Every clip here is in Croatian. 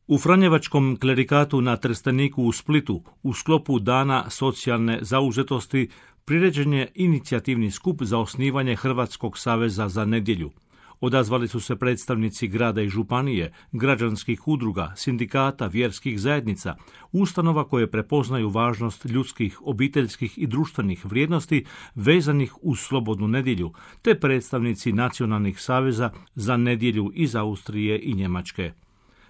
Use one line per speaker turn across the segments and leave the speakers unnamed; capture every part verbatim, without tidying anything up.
U Franjevačkom klerikatu na Trsteniku u Splitu u sklopu Dana socijalne zauzetosti priređen je inicijativni skup za osnivanje Hrvatskog saveza za nedjelju. Odazvali su se predstavnici grada i županije, građanskih udruga, sindikata, vjerskih zajednica, ustanova koje prepoznaju važnost ljudskih, obiteljskih i društvenih vrijednosti vezanih uz slobodnu nedjelju, te predstavnici nacionalnih saveza za nedjelju iz Austrije i Njemačke.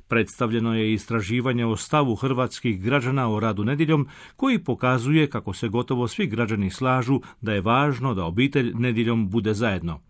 Predstavljeno je istraživanje o stavu hrvatskih građana o radu nedjeljom, koji pokazuje kako se gotovo svi građani slažu da je važno da obitelj nedjeljom bude zajedno.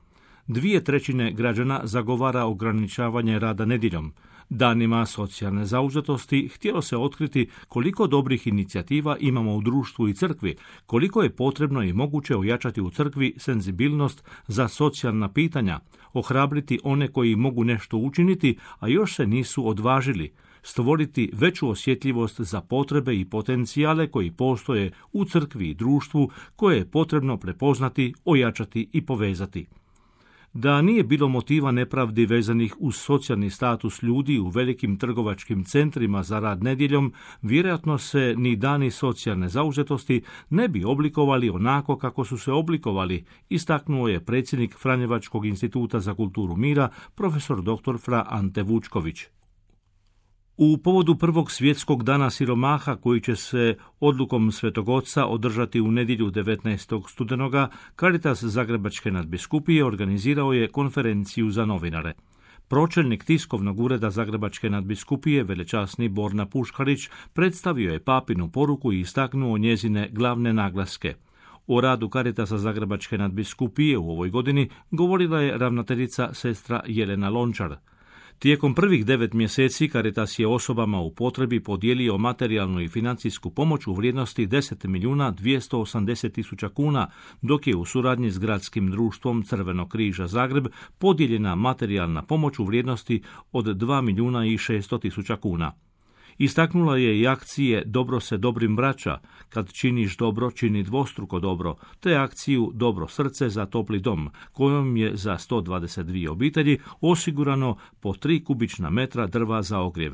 Dvije trećine građana zagovara ograničavanje rada nedjeljom. Danima socijalne zauzetosti htjelo se otkriti koliko dobrih inicijativa imamo u društvu i crkvi, koliko je potrebno i moguće ojačati u crkvi senzibilnost za socijalna pitanja, ohrabriti one koji mogu nešto učiniti, a još se nisu odvažili, stvoriti veću osjetljivost za potrebe i potencijale koji postoje u crkvi i društvu, koje je potrebno prepoznati, ojačati i povezati. Da nije bilo motiva nepravdi vezanih uz socijalni status ljudi u velikim trgovačkim centrima za rad nedjeljom, vjerojatno se ni dani socijalne zauzetosti ne bi oblikovali onako kako su se oblikovali, istaknuo je predsjednik Franjevačkog instituta za kulturu mira, profesor doktor fra Ante Vučković. U povodu prvog svjetskog dana siromaha, koji će se odlukom Svetog Oca održati u nedjelju devetnaestog studenoga, Caritas Zagrebačke nadbiskupije organizirao je konferenciju za novinare. Pročelnik tiskovnog ureda Zagrebačke nadbiskupije, velečasni Borna Puškarić, predstavio je papinu poruku i istaknuo njezine glavne naglaske. O radu Caritasa Zagrebačke nadbiskupije u ovoj godini govorila je ravnateljica sestra Jelena Lončar. Tijekom prvih devet mjeseci Caritas je osobama u potrebi podijelio materijalnu i financijsku pomoć u vrijednosti deset milijuna dvjesto osamdeset tisuća kuna, dok je u suradnji s gradskim društvom Crvenog križa Zagreb podijeljena materijalna pomoć u vrijednosti od dva milijuna i šesto tisuća kuna. Istaknula je i akcije Dobro se dobrim vraća, kad činiš dobro, čini dvostruko dobro, te akciju Dobro srce za topli dom, kojom je za sto dvadeset dvije obitelji osigurano po tri kubična metra drva za ogrjev.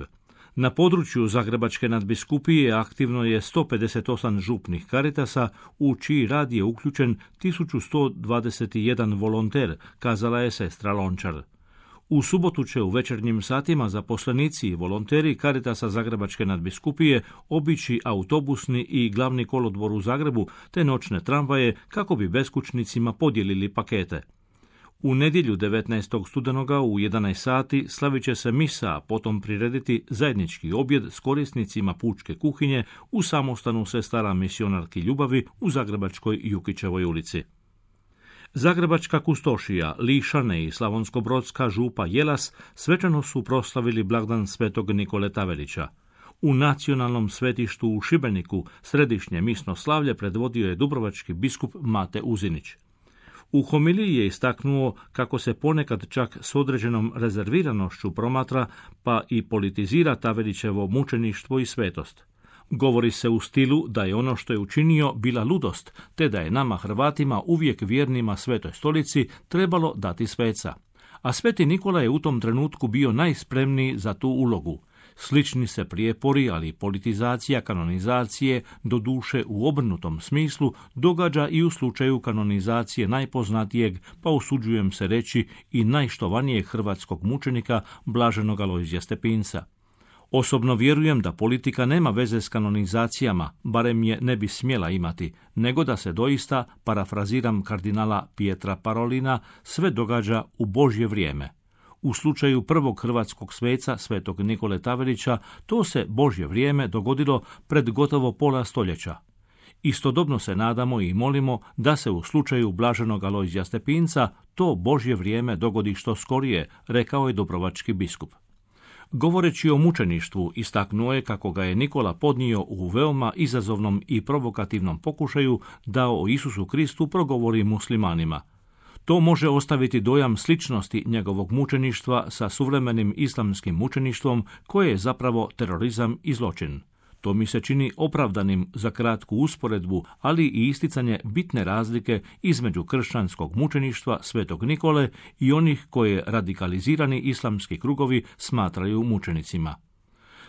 Na području Zagrebačke nadbiskupije aktivno je sto pedeset osam župnih Caritasa, u čiji rad je uključen tisuću sto dvadeset jedan volonter, kazala je sestra Lončar. U subotu će u večernjim satima zaposlenici i volonteri Caritasa Zagrebačke nadbiskupije obići autobusni i glavni kolodvor u Zagrebu te noćne tramvaje kako bi beskućnicima podijelili pakete. U nedjelju devetnaestog studenoga u jedanaest sati slavit će se misa, a potom prirediti zajednički objed s korisnicima pučke kuhinje u samostanu sestara misionarki Ljubavi u Zagrebačkoj Jukićevoj ulici. Zagrebačka kustošija, Lišane i slavonskobrodska župa Jelas svečano su proslavili blagdan svetog Nikole Tavelića. U nacionalnom svetištu u Šibeniku središnje misno slavlje predvodio je dubrovački biskup Mate Uzinić. U homiliji je istaknuo kako se ponekad čak s određenom rezerviranošću promatra pa i politizira Tavelićevo mučeništvo i svetost. Govori se u stilu da je ono što je učinio bila ludost, te da je nama Hrvatima uvijek vjernima Svetoj stolici trebalo dati sveca. A Sveti Nikola je u tom trenutku bio najspremniji za tu ulogu. Slični se prijepori, ali i politizacija kanonizacije, doduše u obrnutom smislu, događa i u slučaju kanonizacije najpoznatijeg, pa usuđujem se reći i najštovanijeg hrvatskog mučenika, blaženog Alojzija Stepinca. Osobno vjerujem da politika nema veze s kanonizacijama, barem je ne bi smjela imati, nego da se doista, parafraziram kardinala Pietra Parolina, sve događa u Božje vrijeme. U slučaju prvog hrvatskog sveca, svetog Nikole Tavelića, to se Božje vrijeme dogodilo pred gotovo pola stoljeća. Istodobno se nadamo i molimo da se u slučaju blaženog Alojzija Stepinca to Božje vrijeme dogodi što skorije, rekao je dubrovački biskup. Govoreći o mučeništvu, istaknuo je kako ga je Nikola podnio u veoma izazovnom i provokativnom pokušaju da o Isusu Kristu progovori muslimanima. To može ostaviti dojam sličnosti njegovog mučeništva sa suvremenim islamskim mučeništvom, koje je zapravo terorizam i zločin. To mi se čini opravdanim za kratku usporedbu, ali i isticanje bitne razlike između kršćanskog mučeništva svetog Nikole i onih koje radikalizirani islamski krugovi smatraju mučenicima.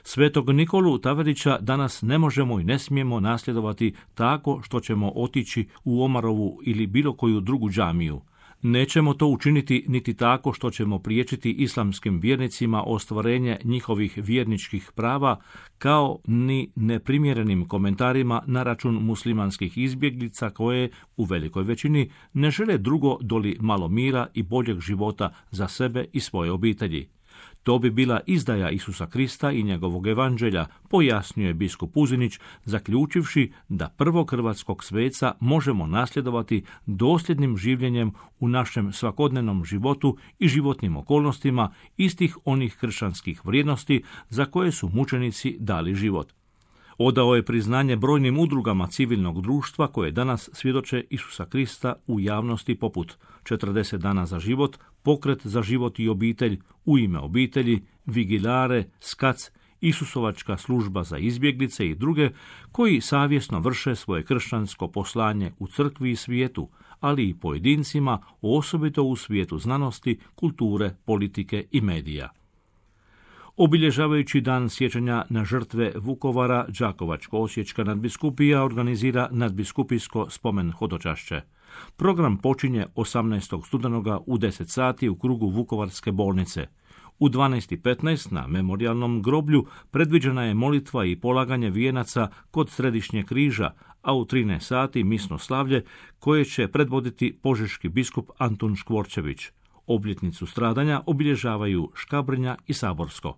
Svetog Nikolu Taverića danas ne možemo i ne smijemo nasljedovati tako što ćemo otići u Omarovu ili bilo koju drugu džamiju. Nećemo to učiniti niti tako što ćemo priječiti islamskim vjernicima ostvarenje njihovih vjerničkih prava, kao ni neprimjerenim komentarima na račun muslimanskih izbjeglica koje, u velikoj većini, ne žele drugo doli malo mira i boljeg života za sebe i svoje obitelji. To bi bila izdaja Isusa Krista i njegovog evanđelja, pojasnio je biskup Uzinić, zaključivši da prvog hrvatskog sveca možemo nasljedovati dosljednim življenjem u našem svakodnevnom životu i životnim okolnostima istih onih kršćanskih vrijednosti za koje su mučenici dali život. Odao je priznanje brojnim udrugama civilnog društva koje danas svjedoče Isusa Krista u javnosti poput četrdeset dana za život, Pokret za život i obitelj, U ime obitelji, Vigilare, Skac, Isusovačka služba za izbjeglice i druge koji savjesno vrše svoje kršćansko poslanje u crkvi i svijetu, ali i pojedincima, osobito u svijetu znanosti, kulture, politike i medija. Obilježavajući dan sjećanja na žrtve Vukovara, Đakovačko-osječka nadbiskupija organizira nadbiskupijsko spomen hodočašće. Program počinje osamnaestog studenoga u deset sati u krugu Vukovarske bolnice. U dvanaest i petnaest na memorijalnom groblju predviđena je molitva i polaganje vijenaca kod Središnjeg križa, a u trinaest sati misno slavlje koje će predvoditi požeški biskup Antun Škvorčević. Obljetnicu stradanja obilježavaju Škabrnja i Saborsko.